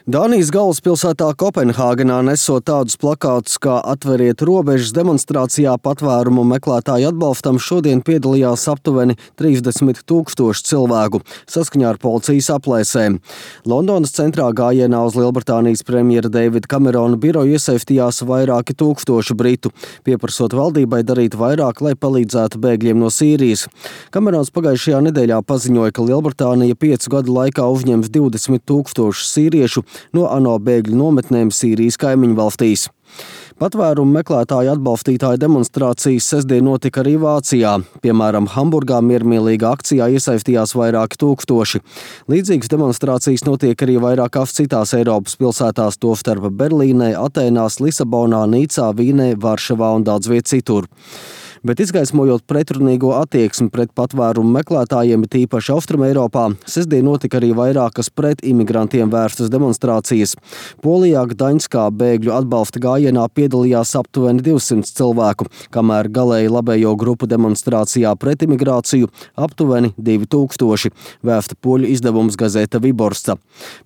Dānijas galvaspilsētā Kopenhāgenā nesot tādus plakātus kā "Atveriet robežas" demonstrācijā patvērumu meklētāju atbalstam šodien piedalījās aptuveni 30 000 cilvēku, saskaņā ar policijas aplēsēm. Londonas centrā gājienā uz Lielbritānijas premjera Davida Kamerona biroju iesaistījās vairāki tūkstoši britu, pieprasot valdībai darīt vairāk, lai palīdzētu bēgļiem no Sīrijas. Kamerons pagājušajā nedēļā paziņoja, ka Lielbritānija 5 gadu laikā uzņems 20 000 sīriešu no ANO bēgļu nometnēm Sīrijas kaimiņu valstīs. Patvērumu meklētāju atbalstītāju demonstrācijas sestdien notika arī Vācijā. Piemēram, Hamburgā miermīlīgā akcijā iesaistījās vairāki tūkstoši. Līdzīgas demonstrācijas notiek arī vairākās citās Eiropas pilsētās, tostarp Berlīnē, Atēnās, Lisabonā, Nīcā, Vīnē, Varšavā un daudz viet citur. Bet izgaismojot pretrunīgo attieksmi pret patvērumu meklētājiem, tīpaši Austrumeiropā, sestdien notika arī vairākas pret imigrantiem vērstas demonstrācijas. Polijā Gdaņskā bēgļu atbalsta gājienā piedalījās aptuveni 200 cilvēku, kamēr galēji labējo grupu demonstrācijā pret imigrāciju aptuveni 2000, vēsta poļu izdevums Gazeta Viborsta.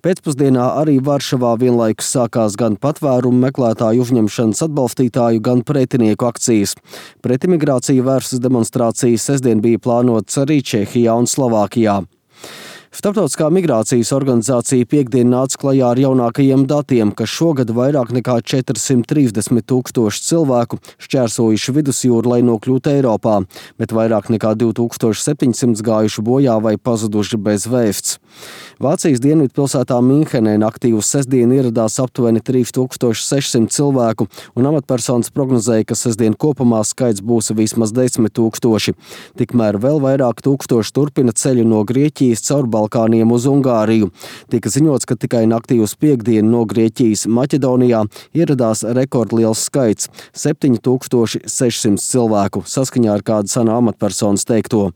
Pēcpusdienā arī Varšavā vienlaikus sākās gan patvērumu meklētāju uzņemšanas atbalstītāju, gan pretinieku akcijas. Pret imigrāciju vērstas demonstrācijas sestdien bija plānotas arī Čehijā un Slovākijā. Starptautiskā migrācijas organizācija piektdien nāca klajā ar jaunākajiem datiem, ka šogad vairāk nekā 430 000 cilvēku šķērsojuši vidusjūru, lai nokļūtu Eiropā, bet vairāk nekā 2700 gājuši bojā vai pazuduši bez vēsts. Vācijas dienvidpilsētā Minhenē naktī uz sestdienu ieradās aptuveni 3600 cilvēku, un amatpersonas prognozēja, ka sestdien kopumā skaits būs vismaz 10 000. Tikmēr vēl vairāk tūkstoši turpina ceļu no Grieķijas caur Balkāniem uz Ungāriju. Tika ziņots, ka tikai naktī uz piektdienu no Grieķijas Maķedonijā ieradās rekordliels skaits – 7600 cilvēku, saskaņā ar kādu ANO amatpersonas teikto.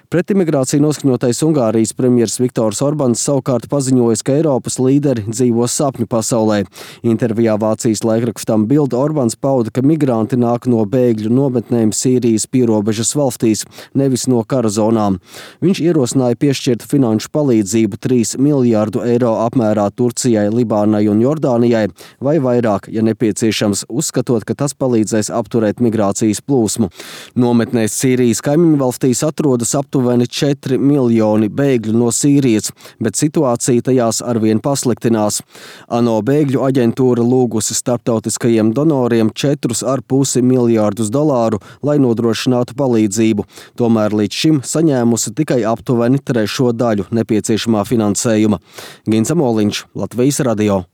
Pret imigrāciju noskaņotais Ungārijas premjers Viktors Orbāns savukārt paziņojis, ka Eiropas līderi dzīvo sapņu pasaulē. Intervijā Vācijas laikrakstam Bild Orbāns pauda, ka migranti nāk no bēgļu nometnēm Sīrijas pierobežas valstīs, nevis no kara zonām. Viņš ierosināja piešķirt finanšu palīdzību 3 miljārdu eiro apmērā Turcijai, Libānai un Jordānijai, vai vairāk, ja nepieciešams, uzskatot, ka tas palīdzēs apturēt migrācijas plūsmu. Nometnēs Sīrijas kaimiņu valstīs atrodas aptuveni 4 miljoni bēgļu no Sīrijas, bet situācija tajās arvien pasliktinās. ANO bēgļu aģentūra lūgusi starptautiskajiem donoriem $4,5 miljārdus, lai nodrošinātu palīdzību. Tomēr līdz šim saņēmusi tikai aptuveni 1/3 daļu nepieciešamā finansējuma. Gins Amoliņš, Latvijas radio.